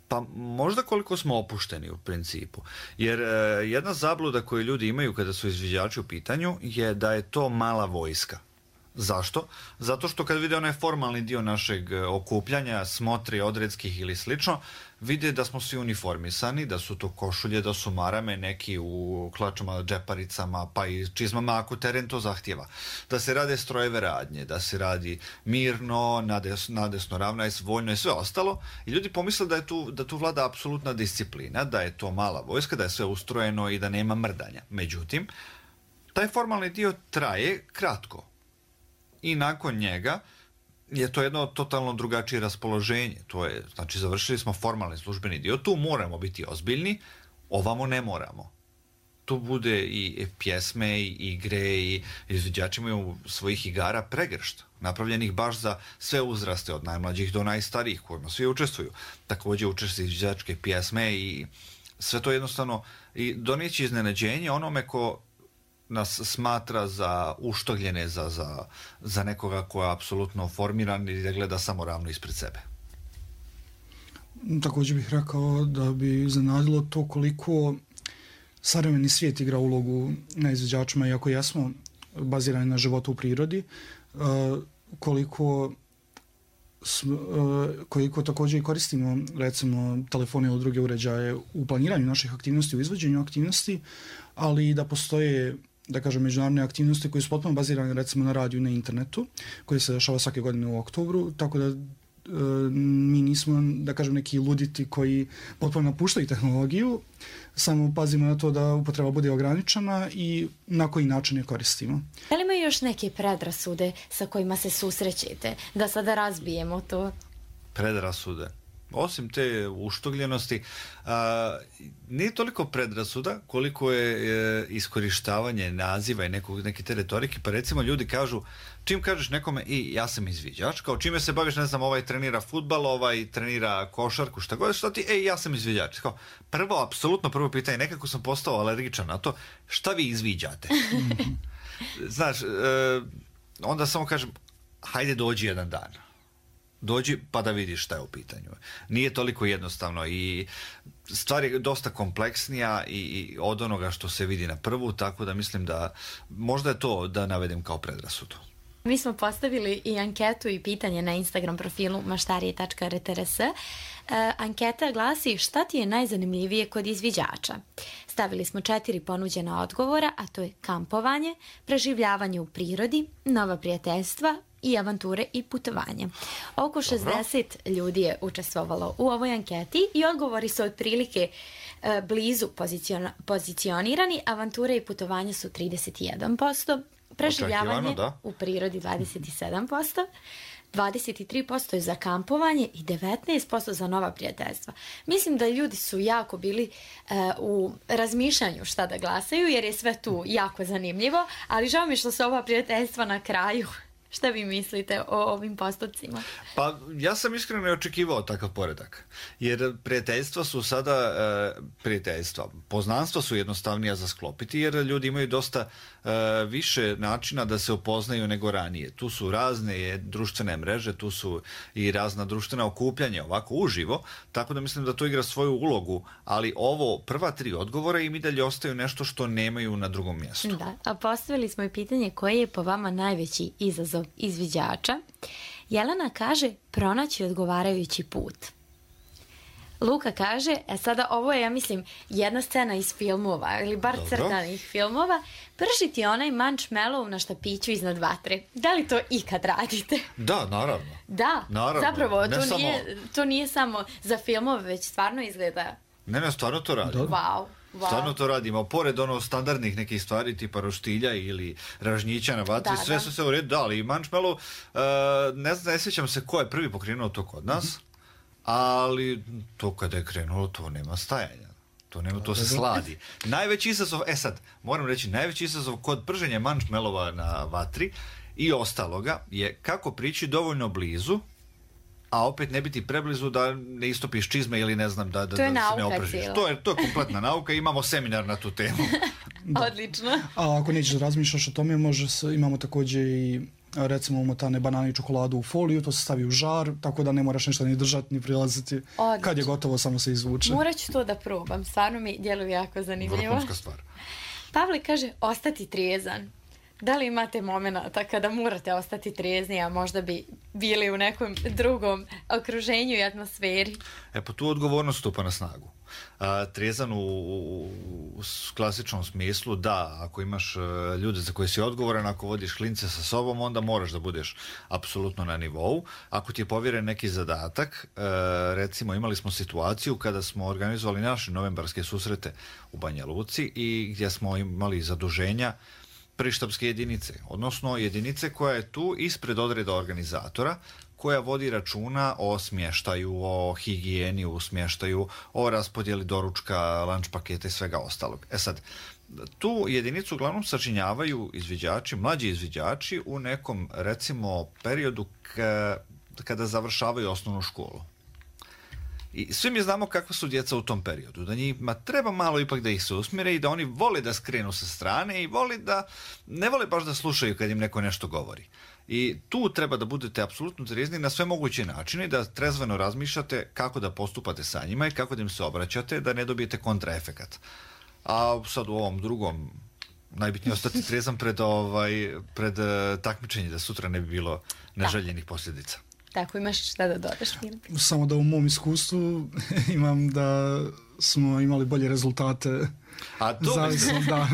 Pa možda koliko smo opušteni u principu. Jer e, jedna zabluda koju ljudi imaju kada su izviđači u pitanju je da je to mala vojska. Zašto? Zato što kad vide onaj formalni dio našeg okupljanja, smotri odredskih ili slično, vide da smo svi uniformisani, da su to košulje, da su marame, neki u klačama, džeparicama, pa i čizmama ako teren to zahtjeva. Da se rade strojeve radnje, da se radi mirno, nades, nadesno, ravno i voljno i sve ostalo. I ljudi pomisle da je tu, da tu vlada apsolutna disciplina, da je to mala vojska, da je sve ustrojeno i da nema mrdanja. Međutim, taj formalni dio traje kratko. I nakon njega je to jedno totalno drugačije raspoloženje. To je, znači, završili smo formalni službeni dio, tu moramo biti ozbiljni, ovamo ne moramo. Tu bude i pjesme, i igre, i izviđači imaju svojih igara pregršt, napravljenih baš za sve uzraste, od najmlađih do najstarijih, kojima svi učestvuju. Također učestvuju izviđačke pjesme i sve to jednostavno i donijeći iznenađenje onome ko nas smatra za uštogljene, za, za, za nekoga ko je apsolutno formiran i da gleda samo ravno ispred sebe. Također bih rekao da bi iznenadilo to koliko savremeni svijet igra ulogu na izviđačima, iako jesmo bazirani na životu u prirodi, koliko koliko također i koristimo recimo telefone ili druge uređaje u planiranju naših aktivnosti, u izvođenju aktivnosti, ali i da postoje, da kažem, međunarodne aktivnosti koje su potpuno bazirane recimo na radiju i na internetu, koje se dešava svake godine u oktobru, tako da e, mi nismo, da kažem, neki luditi koji potpuno napuštaju tehnologiju, samo pazimo na to da upotreba bude ograničena i na koji način je koristimo. Da li imaju još neke predrasude sa kojima se susrećete? Da sada razbijemo to. Predrasude? Osim te uštogljenosti, a, nije toliko predrasuda koliko je e, iskorištavanje naziva i nekog, neke te retorike. Pa recimo ljudi kažu, čim kažeš nekome i ja sam izviđač, kao čime se baviš, ne znam, ovaj trenira fudbal, ovaj trenira košarku, šta god, šta ti, ej, ja sam izviđač. Kao, prvo, apsolutno prvo pitanje, nekako sam postao alergičan na to, šta vi izviđate? Znaš, e, onda samo kažem, hajde dođi jedan dan. Dođi pa da vidiš šta je u pitanju. Nije toliko jednostavno i stvar je dosta kompleksnija i, i od onoga što se vidi na prvu, tako da mislim da možda je to da navedem kao predrasudu. Mi smo postavili i anketu i pitanje na Instagram profilu maštarije tačka r t r s. E, anketa glasi šta ti je najzanimljivije kod izviđača. Stavili smo četiri ponuđena odgovora, a to je kampovanje, preživljavanje u prirodi, nova prijateljstva i avanture i putovanje. Oko šezdeset ljudi je učestvovalo u ovoj anketi i odgovori su otprilike e, blizu pozicion, pozicionirani. Avanture i putovanje su trideset jedan posto, preživljavanje u prirodi dvadeset sedam posto, dvadeset tri posto je za kampovanje i devetnaest posto za nova prijateljstva. Mislim da ljudi su jako bili uh, u razmišljanju šta da glasaju, jer je sve tu jako zanimljivo, ali žao mi što su ova prijateljstva na kraju. Šta vi mislite o ovim postocima? Pa ja sam iskreno ne očekivao takav poredak. Jer prijateljstva su sada e, prijateljstva. Poznanstva su jednostavnija za sklopiti jer ljudi imaju dosta e, više načina da se upoznaju nego ranije. Tu su razne društvene mreže, tu su i razna društvena okupljanja ovako uživo, tako da mislim da to igra svoju ulogu, ali ovo prva tri odgovora im i dalje ostaju nešto što nemaju na drugom mjestu. Da, a postavili smo i pitanje koje je po vama najveći izazov izviđača. Jelena kaže pronaći odgovarajući put. Luka kaže, e sada ovo je, ja mislim, jedna scena iz filmova, ili bar Dobro. crtanih filmova, pržiti onaj mančmelov na štapiću iznad vatre. Da li to ikad radite? Da, naravno. Da, naravno. zapravo, ne to, samo... nije, to nije samo za filmove, već stvarno izgleda... Ne, ne, stvarno to radi. Wow. Wow. Stvarno to radimo. Pored ono standardnih nekih stvari tipa roštilja ili ražnjića na vatri, Da, sve da. su se u redu dali. I mančmelo, uh, ne znam, ne sjećam se ko je prvi pokrenuo to kod nas, Mhm. ali to kada je krenulo, to nema stajanja. To nema, to se sladi. Najveći izazov, e sad, moram reći, najveći izazov kod prženja mančmelova na vatri i ostaloga je kako prići dovoljno blizu, a opet ne biti preblizu da ne istopiš čizme ili ne znam da, da, To je da se ne nauka opržiš. cijela. To je, to je kompletna nauka i imamo seminar na tu temu. Odlično. A ako nećeš da razmišljaš o tome, može se, imamo također i recimo umotane banane i čokoladu u foliju, to se stavi u žar, tako da ne moraš ništa ni držati, ni prilaziti. Odlično. Kad je gotovo, samo se izvuče. Morat ću to da probam, stvarno mi djeluje jako zanimljivo. Vrhunska stvar. Pavle kaže ostati trijezan. Da li imate momenata kada morate ostati trijezni, a možda bi bili u nekom drugom okruženju i atmosferi? E pa tu odgovornost stupa na snagu. A, trijezan u, u, u klasičnom smislu, da, ako imaš e, ljude za koje si odgovoran, ako vodiš klince sa sobom, onda moraš da budeš apsolutno na nivou. Ako ti je povjeren neki zadatak, e, recimo imali smo situaciju kada smo organizovali naše novembarske susrete u Banja Luci i gdje smo imali zaduženja prištabske jedinice, odnosno jedinice koja je tu ispred odreda organizatora, koja vodi računa o smještaju, o higijeni u smještaju, o raspodjeli doručka, lunch paketa i svega ostalog. E sad, tu jedinicu uglavnom sačinjavaju izviđači, mlađi izviđači u nekom, recimo, periodu ka, kada završavaju osnovnu školu. I svi mi znamo kakva su djeca u tom periodu, da njima treba malo ipak da ih se usmjere i da oni vole da skrenu sa strane i vole da, ne vole baš da slušaju kad im neko nešto govori. I tu treba da budete apsolutno trijezni na sve moguće načine, da trezveno razmišljate kako da postupate sa njima i kako da im se obraćate, da ne dobijete kontraefekat. A sad u ovom drugom, najbitnije ostati trijezan pred, ovaj, pred uh, takmičenje, da sutra ne bi bilo neželjenih posljedica. Tako, imaš šta da dodaš, Filip? Samo da u mom iskustvu imam da smo imali bolje rezultate. A to Zavisno, da.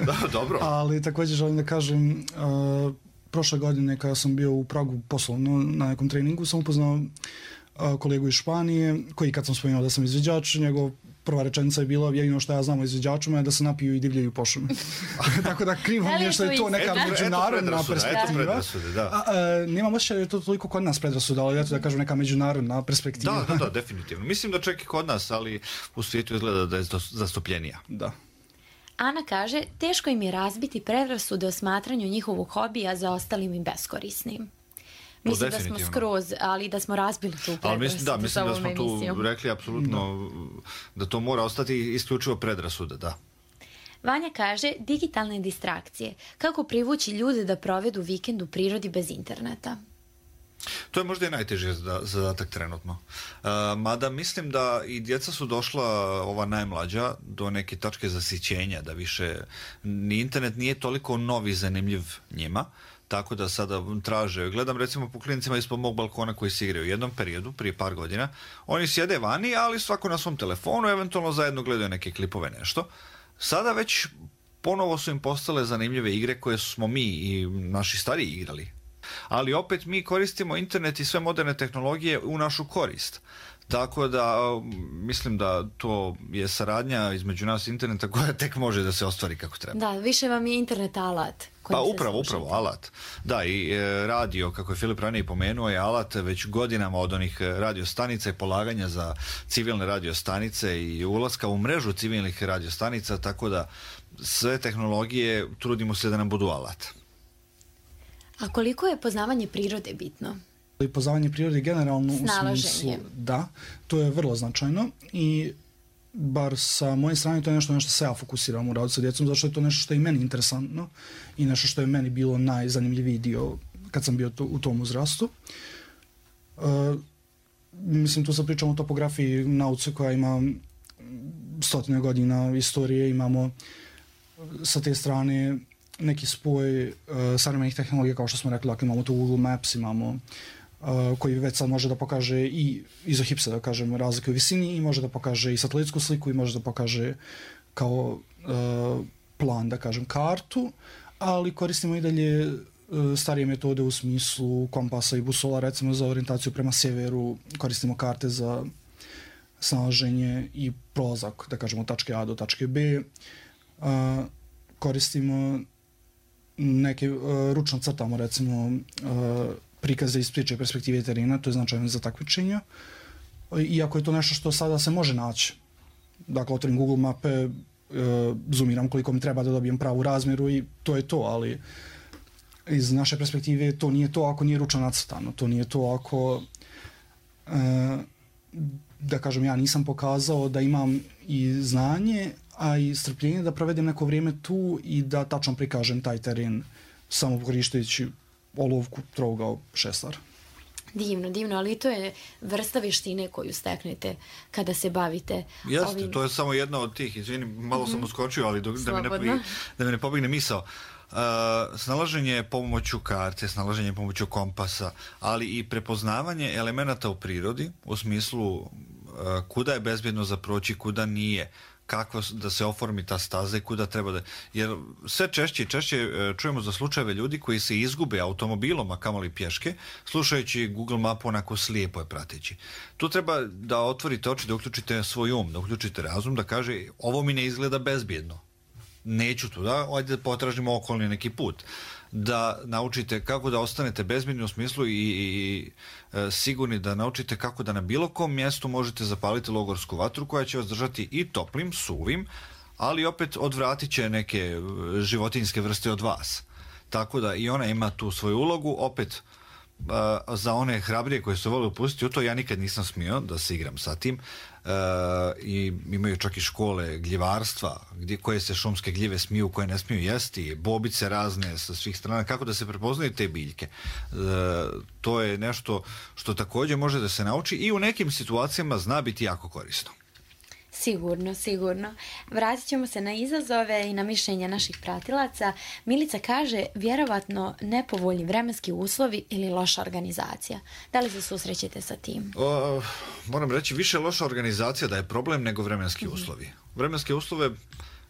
Da, dobro. Ali također želim da kažem, uh, prošle godine kada sam bio u Pragu poslovno na nekom treningu, sam upoznao uh, kolegu iz Španije, koji kad sam spomenuo da sam izviđač, njegov prva rečenica je bila jedino što ja znam o izviđačima je da se napiju i divljaju po šumi. Tako da krivo mi je što je to neka Eto, međunarodna eto perspektiva. predrasude, da. A, a, nemam osjećaj da je to toliko kod nas predrasuda, ali eto da kažem neka međunarodna perspektiva. Da, da, da, definitivno. Mislim da čak i kod nas, ali u svijetu izgleda da je zastupljenija. Da. Ana kaže, teško im je razbiti predrasude o smatranju njihovog hobija za ostalim i beskorisnim. Mislim da smo definitivno. skroz, ali da smo razbili tu predrasudu. Ali mislim, da, mislim za da ovom smo tu emisijom. rekli apsolutno da to mora ostati isključivo predrasuda, da. Vanja kaže, digitalne distrakcije. Kako privući ljude da provedu vikend u prirodi bez interneta? To je možda i najteži zadatak trenutno. Uh, mada mislim da i djeca su došla, ova najmlađa, do neke tačke zasićenja, da više ni internet nije toliko novi zanimljiv njima, tako da sada traže. Gledam recimo po klinicima ispod mog balkona koji se igraju u jednom periodu, prije par godina. Oni sjede vani, ali svako na svom telefonu, eventualno zajedno gledaju neke klipove, nešto. Sada već ponovo su im postale zanimljive igre koje smo mi i naši stariji igrali. Ali opet mi koristimo internet i sve moderne tehnologije u našu korist. Tako da mislim da to je saradnja između nas i interneta koja tek može da se ostvari kako treba. Da, više vam je internet alat. Pa upravo, upravo, alat. Da, i e, radio, kako je Filip ranije pomenuo, je alat već godinama od onih radiostanica i polaganja za civilne radiostanice i ulaska u mrežu civilnih radiostanica, tako da sve tehnologije trudimo se da nam budu alat. A koliko je poznavanje prirode bitno? I poznavanje prirode generalno u Snalaženje. smislu, da, to je vrlo značajno i bar sa moje strane to je nešto na što se ja fokusiram u radu sa djecom, zato što je to nešto što je meni interesantno i nešto što je meni bilo najzanimljiviji dio kad sam bio to, u tom uzrastu. Uh, mislim, tu sad pričamo o topografiji, nauci koja ima stotine godina istorije, imamo sa te strane neki spoj uh, savremenih tehnologija, kao što smo rekli, dakle, imamo tu Google Maps, imamo uh, koji već sad može da pokaže i izohipse, da kažem, razlike u visini i može da pokaže i satelitsku sliku i može da pokaže kao uh, plan, da kažem, kartu, ali koristimo i dalje uh, starije metode u smislu kompasa i busola, recimo za orijentaciju prema sjeveru, koristimo karte za snalaženje i prolazak, da kažemo, od tačke A do tačke B. A, koristimo neke, a, ručno crtamo, recimo, a, prikaze iz priče perspektive terena, to je značajno za takmičenja. Iako je to nešto što sada se može naći. Dakle, otvorim Google mape, e, zoomiram koliko mi treba da dobijem pravu razmjeru i to je to, ali iz naše perspektive to nije to ako nije ručno nacrtano, to nije to ako, e, da kažem, ja nisam pokazao da imam i znanje, a i strpljenje da provedem neko vrijeme tu i da tačno prikažem taj teren samo korištajući olovku, trougao, šestar. Divno, divno, ali to je vrsta vještine koju steknete kada se bavite Jeste, ovim... to je samo jedna od tih, izvini, malo mm-hmm. sam uskočio, ali dok, da, mi ne, da mi ne pobigne misao. Uh, snalaženje pomoću karte, snalaženje pomoću kompasa, ali i prepoznavanje elemenata u prirodi, u smislu uh, kuda je bezbjedno za proći, kuda nije, kako da se oformi ta staza i kuda treba da... Jer sve češće i češće čujemo za slučajeve ljudi koji se izgube automobilom, a kamoli pješke, slušajući Google mapu onako slijepo je prateći. Tu treba da otvorite oči, da uključite svoj um, da uključite razum, da kaže ovo mi ne izgleda bezbjedno. Neću tu, da, ajde da potražimo okolni neki put. Da naučite kako da ostanete bezbjedni u smislu i, i, i e, sigurni da naučite kako da na bilo kom mjestu možete zapaliti logorsku vatru koja će vas držati i toplim, suvim, ali opet odvratit će neke životinjske vrste od vas. Tako da i ona ima tu svoju ulogu, opet e, za one hrabrije koje se vole upustiti u to, ja nikad nisam smio da se igram sa tim. Uh, i imaju čak i škole gljivarstva gdje, koje se šumske gljive smiju, koje ne smiju jesti, bobice razne sa svih strana, kako da se prepoznaju te biljke. Uh, to je nešto što također može da se nauči i u nekim situacijama zna biti jako korisno. Sigurno, sigurno. Vratit ćemo se na izazove i na mišljenja naših pratilaca. Milica kaže, vjerovatno nepovoljni vremenski uslovi ili loša organizacija. Da li se susrećete sa tim? O, moram reći, više loša organizacija da je problem nego vremenski mm-hmm. uslovi. Vremenske uslove,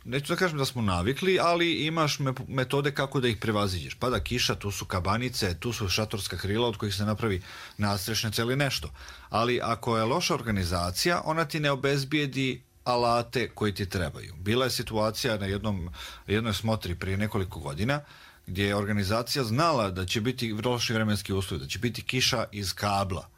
neću da kažem da smo navikli, ali imaš metode kako da ih prevaziđeš. Pada kiša, tu su kabanice, tu su šatorska krila od kojih se napravi nadstrešnica ili nešto. Ali ako je loša organizacija, ona ti ne obezbijedi alate koji ti trebaju. Bila je situacija na jednom, jednoj smotri prije nekoliko godina gdje je organizacija znala da će biti loši vremenski uslovi, da će biti kiša iz kabla.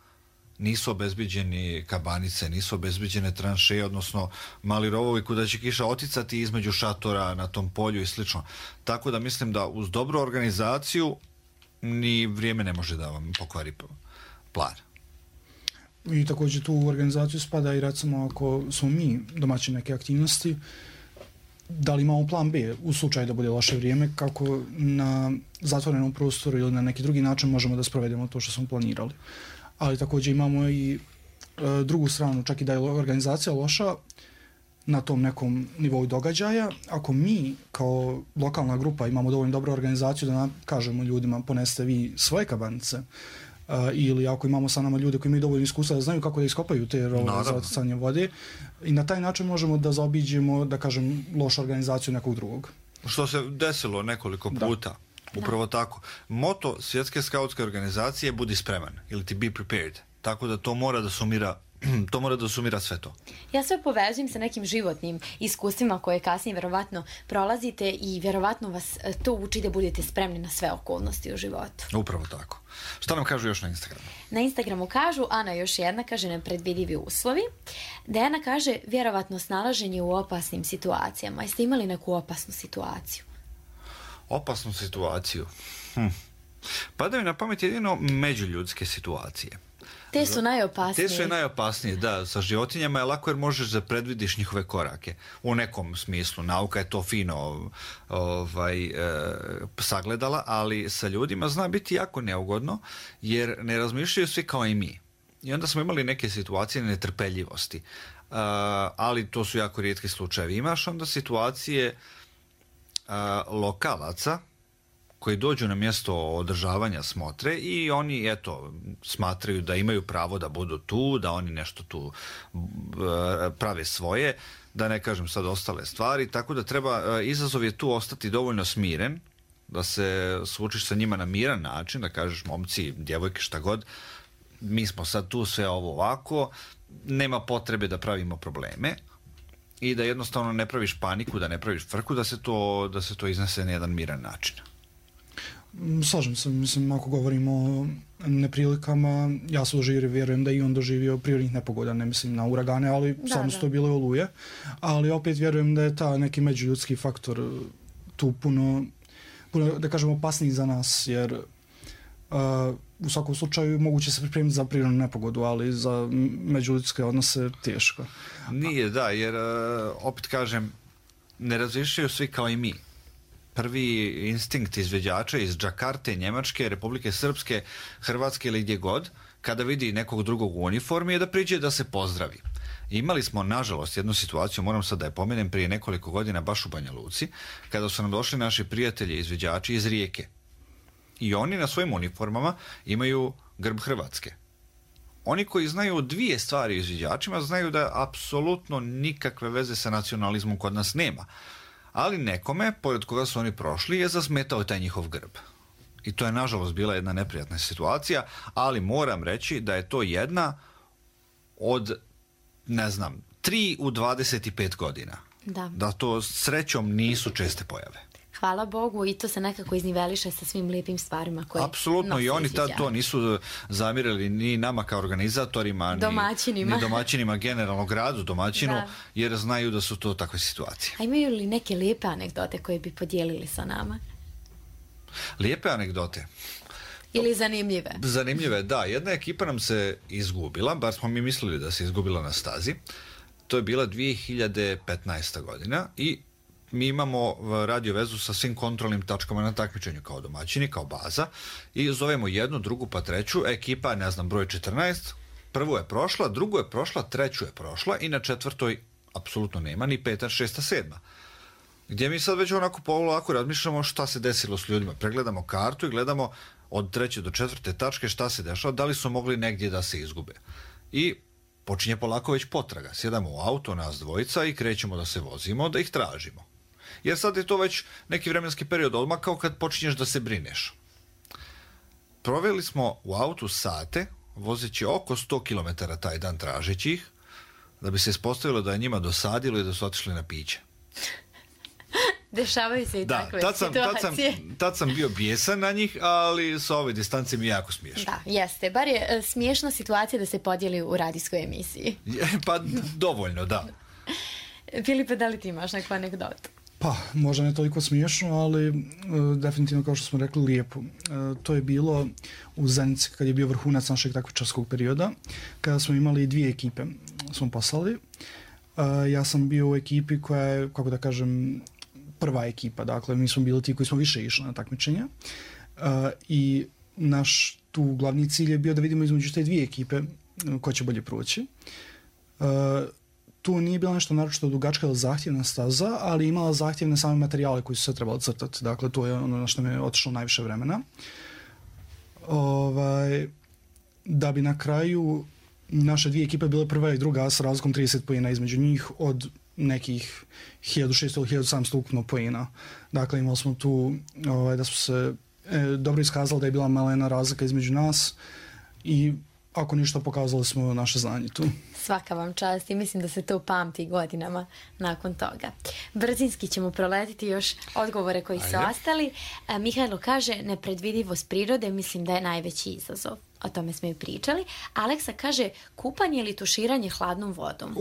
Nisu obezbiđeni kabanice, nisu obezbiđene tranšeje, odnosno mali rovovi kuda će kiša oticati između šatora na tom polju i slično. Tako da mislim da uz dobru organizaciju ni vrijeme ne može da vam pokvari plan. I također tu u organizaciju spada i recimo ako smo mi domaći neke aktivnosti, da li imamo plan B u slučaju da bude loše vrijeme, kako na zatvorenom prostoru ili na neki drugi način možemo da sprovedemo to što smo planirali. Ali također imamo i e, drugu stranu, čak i da je organizacija loša na tom nekom nivou događaja. Ako mi kao lokalna grupa imamo dovoljno dobru organizaciju da nam kažemo ljudima ponesete vi svoje kabanice, e, ili ako imamo sa nama ljude koji imaju dovoljno iskustva da znaju kako da iskopaju te rovove za oticanje vode, i na taj način možemo da zaobiđemo, da kažem, lošu organizaciju nekog drugog. Što se desilo nekoliko puta. Da. Upravo da. Tako. Moto svjetske skautske organizacije je budi spreman ili ti be prepared. Tako da to mora da sumira to mora da sumira sve to. Ja sve povezujem sa nekim životnim iskustvima koje kasnije vjerovatno prolazite i vjerovatno vas to uči da budete spremni na sve okolnosti u životu. Upravo tako. Šta nam kažu još na Instagramu? Na Instagramu kažu, Ana još jedna kaže nepredvidivi uslovi. Dejana kaže vjerovatno snalaženje u opasnim situacijama. Jeste imali neku opasnu situaciju? Opasnu situaciju? Hm. Pada mi na pamet jedino međuljudske situacije. Te su najopasnije. Te su najopasnije, da. Sa životinjama je lako jer možeš da predvidiš njihove korake. U nekom smislu. Nauka je to fino ovaj, e, sagledala, ali sa ljudima zna biti jako neugodno jer ne razmišljaju svi kao i mi. I onda smo imali neke situacije netrpeljivosti. E, ali to su jako rijetki slučajevi. Imaš onda situacije a, lokalaca koji dođu na mjesto održavanja smotre i oni, eto, smatraju da imaju pravo da budu tu, da oni nešto tu prave svoje, da ne kažem sad ostale stvari, tako da treba, izazov je tu ostati dovoljno smiren, da se suočiš sa njima na miran način, da kažeš momci, djevojke, šta god, mi smo sad tu, sve ovo ovako, nema potrebe da pravimo probleme i da jednostavno ne praviš paniku, da ne praviš frku, da se to, da se to iznese na jedan miran način. Slažem se, mislim, ako govorimo o neprilikama, ja sam doživio, vjerujem da i on doživio prirodnih nepogoda, ne mislim na uragane, ali Da, samo da. su to bile oluje, ali opet vjerujem da je ta neki međuljudski faktor tu puno, puno da kažemo, opasniji za nas, jer uh, u svakom slučaju moguće se pripremiti za prirodnu nepogodu, ali za međuljudske odnose teško. Nije, da, jer uh, opet kažem, ne razmišljaju svi kao i mi. Prvi instinkt izveđača iz Džakarte, Njemačke, Republike Srpske, Hrvatske ili gdje god, kada vidi nekog drugog u uniformi, je da priđe da se pozdravi. Imali smo, nažalost, jednu situaciju, moram sad da je pomenem, prije nekoliko godina baš u Banja Luci, kada su nam došli naši prijatelji izveđači iz Rijeke. I oni na svojim uniformama imaju grb Hrvatske. Oni koji znaju dvije stvari o izviđačima znaju da apsolutno nikakve veze sa nacionalizmom kod nas nema. Ali nekome, pored koga su oni prošli, je zasmetao taj njihov grb. I to je nažalost bila jedna neprijatna situacija, ali moram reći da je to jedna od, ne znam, tri u dvadeset pet godina. Da. Da to srećom nisu česte pojave. Hvala Bogu i to se nekako izniveliše sa svim lijepim stvarima koje Apsolutno, nose i oni tad izviđači. to nisu zamirali ni nama kao organizatorima, ni Domaćinima. ni domaćinima, generalno gradu domaćinu, Da. jer znaju da su to takve situacije. A imaju li neke lijepe anegdote koje bi podijelili sa nama? Lijepe anegdote. Ili zanimljive? Zanimljive, da. Jedna ekipa nam se izgubila, bar smo mi mislili da se izgubila na stazi. To je bila dvije hiljade petnaesta godina i mi imamo radio vezu sa svim kontrolnim tačkama na takmičenju kao domaćini, kao baza i zovemo jednu, drugu pa treću. Ekipa, ne znam, broj četrnaest, prvu je prošla, drugu je prošla, treću je prošla i na četvrtoj apsolutno nema, ni peta, šesta, sedma. Gdje mi sad već onako polako razmišljamo šta se desilo s ljudima. Pregledamo kartu i gledamo od treće do četvrte tačke šta se dešava, da li su mogli negdje da se izgube. I počinje polako već potraga. Sjedamo u auto, nas dvojica, i krećemo da se vozimo, da ih tražimo. Jer sad je to već neki vremenski period odmah kao kad počinješ da se brineš. Proveli smo u autu sate, vozeći oko sto kilometara taj dan tražeći ih, da bi se ispostavilo da je njima dosadilo i da su otišli na piće. Dešavaju se i Da, takve tad sam, tad, sam, situacije. tad sam bio bijesan na njih, ali sa ove distance mi je jako smiješno. Da, jeste. Bar je e, smiješna situacija da se podijeli u radijskoj emisiji. Pa dovoljno, da. Filipe, da li ti imaš neku anegdotu? Pa, možda ne toliko smiješno, ali e, definitivno, kao što smo rekli, lijepo. E, to je bilo u Zenici kad je bio vrhunac našeg takmičarskog perioda, kada smo imali dvije ekipe, smo poslali. E, ja sam bio u ekipi koja je, kako da kažem, prva ekipa, dakle mi smo bili ti koji smo više išli na takmičenja uh, i naš tu glavni cilj je bio da vidimo između te dvije ekipe uh, ko će bolje proći. Uh, tu nije bila nešto naročito dugačka ili zahtjevna staza, ali imala zahtjevne same materijale koji su se trebali crtati, dakle to je ono na što mi je otišlo najviše vremena. Ovaj, da bi na kraju naše dvije ekipe bile prva i druga s razlikom trideset poena između njih od nekih hiljadu šesto ili hiljadu sedamsto ukupno poena. Dakle, imali smo tu ovaj, da smo se e, dobro iskazali da je bila malena razlika između nas i ako ništa pokazali smo naše znanje tu. Svaka vam čast i mislim da se to pamti godinama nakon toga. Brzinski ćemo proletiti još odgovore koji su Ajde. ostali. E, Mihajlo kaže, nepredvidivost prirode mislim da je najveći izazov. O tome smo i pričali. Aleksa kaže, kupanje ili tuširanje hladnom vodom.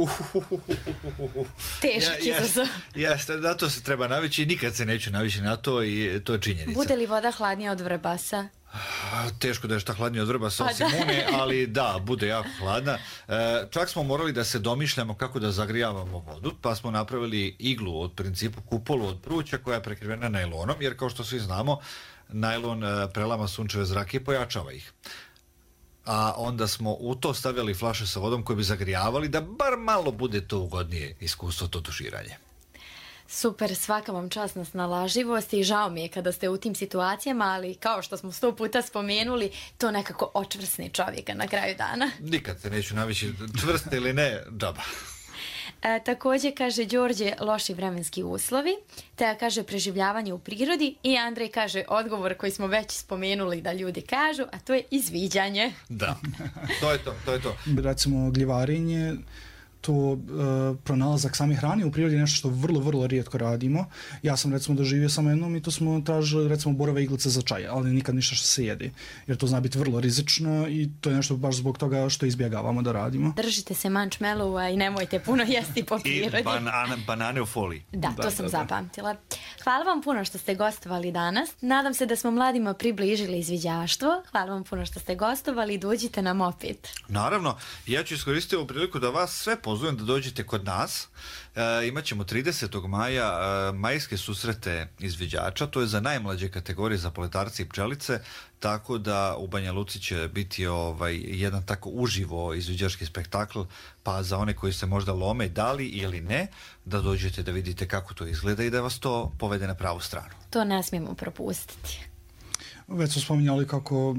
Težak Ja- izazov. Jeste, na to se treba navići i nikad se neću navići na to i to je činjenica. Bude li voda hladnija od vrbasa? A, Teško da je šta hladnije od vrba sa Pa osim da. une, ali da, bude jako hladna. E, čak smo morali da se domišljamo kako da zagrijavamo vodu, pa smo napravili iglu od principu kupolu od pruća koja je prekrivena najlonom, jer kao što svi znamo, najlon e, prelama sunčeve zrake i pojačava ih. A onda smo u to stavljali flaše sa vodom koje bi zagrijavali da bar malo bude to ugodnije iskustvo, to tuširanje. Super, svaka vam čast na snalažljivosti i žao mi je kada ste u tim situacijama, ali kao što smo sto puta spomenuli, to nekako očvrsne čovjeka na kraju dana. Nikad se neću navići, čvrste ili ne, džaba. E, također kaže Đorđe loši vremenski uslovi, te kaže preživljavanje u prirodi i Andrej kaže odgovor koji smo već spomenuli da ljudi kažu, a to je izviđanje. Da, to je to, to je to. Recimo gljivarenje, to uh, pronalazak same hrane u prirodi je nešto što vrlo, vrlo rijetko radimo. Ja sam recimo doživio samo jednom i to smo tražili recimo borove iglice za čaj, ali nikad ništa što se jede, jer to zna biti vrlo rizično i to je nešto baš zbog toga što izbjegavamo da radimo. Držite se mančmelova i nemojte puno jesti po prirodi. I banane, banane u foliji. Da, Da, to sam da, da. zapamtila. Hvala vam puno što ste gostovali danas. Nadam se da smo mladima približili izviđaštvo. Hvala vam puno što ste gostovali i dođite nam opet. Naravno, ja ću iskoristiti ovu priliku da vas sve pozovem da dođete kod nas. E, imat ćemo tridesetog maja e, majske susrete izviđača, to je za najmlađe kategorije, za poletarce i pčelice, tako da u Banja Luci će biti ovaj, jedan tako uživo izviđački spektakl, pa za one koji se možda lome da li ili ne, da dođete da vidite kako to izgleda i da vas to povede na pravu stranu. To ne smijemo propustiti. Već smo spominjali kako uh,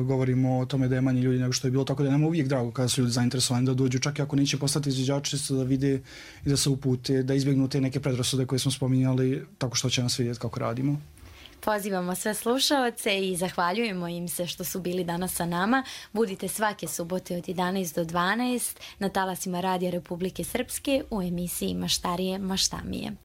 govorimo o tome da je manje ljudi nego što je bilo, tako da je nam uvijek drago kada su ljudi zainteresovani da dođu, čak i ako neće postati izviđači, da vide i da se upute, da izbjegnu te neke predrasude koje smo spominjali, tako što će nas vidjeti kako radimo. Pozivamo sve slušaoce i zahvaljujemo im se što su bili danas sa nama. Budite svake subote od jedanaest do dvanaest na talasima Radija Republike Srpske u emisiji Maštarije, maštamije.